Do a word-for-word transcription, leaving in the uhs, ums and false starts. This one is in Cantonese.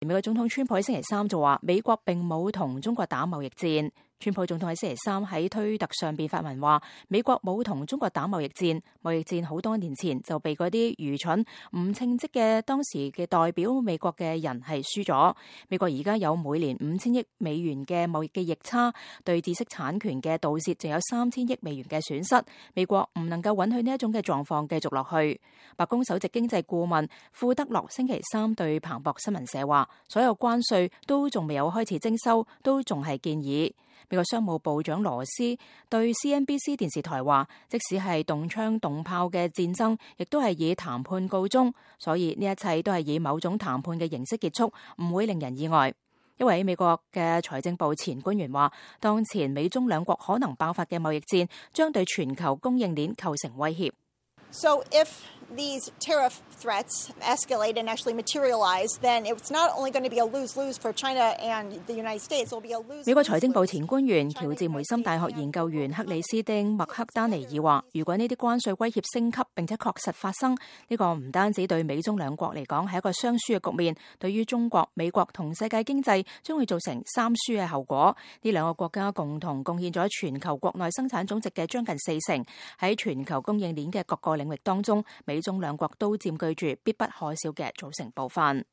美國總統川普喺星期三就話，美國並冇同中國打貿易戰。川普總統喺星期三喺推特上邊發文話，美國冇同中國打貿易戰，貿易戰好多年前就被嗰啲愚蠢唔稱職嘅當時嘅代表美國嘅人係輸咗。美國而家有每年五千億美元嘅貿易嘅逆差，對知識產權嘅盜竊就有三千億美元嘅損失。美國唔能夠允許呢一種嘅狀況繼續落去。白宮首席經濟顧問庫德洛星期三對彭博新聞社話，所有關稅都仲未有開始徵收，都仲係建議。美國商務部長羅斯對 C N B C 電視台話，即使係動槍動炮嘅戰爭，亦都係以談判告終，所以呢一切都係以某種談判嘅形式結束，唔會令人意外。一位美國嘅財政部前官員話，當前美中兩國可能爆發嘅貿易戰，將對全球供應鏈構成威脅。So if these tariff threats escalate and actually materialize, then it's not only going to be a lose-lose for China and the United States, it will be a lose-lose. 美國財政部前官員喬治梅森大學研究員克里斯汀麥克丹尼爾話，如果呢啲關稅威脅升級並且確實發生，呢個唔單止對美中兩國嚟講係一個雙輸嘅局面，對於中國、美國同世界經濟將會造成三輸嘅後果。呢兩個國家共同貢獻咗全球國內生產總值嘅將近四成，喺全球供應鏈嘅各個領域當中，美中兩國都佔據住必不可少嘅組成部分。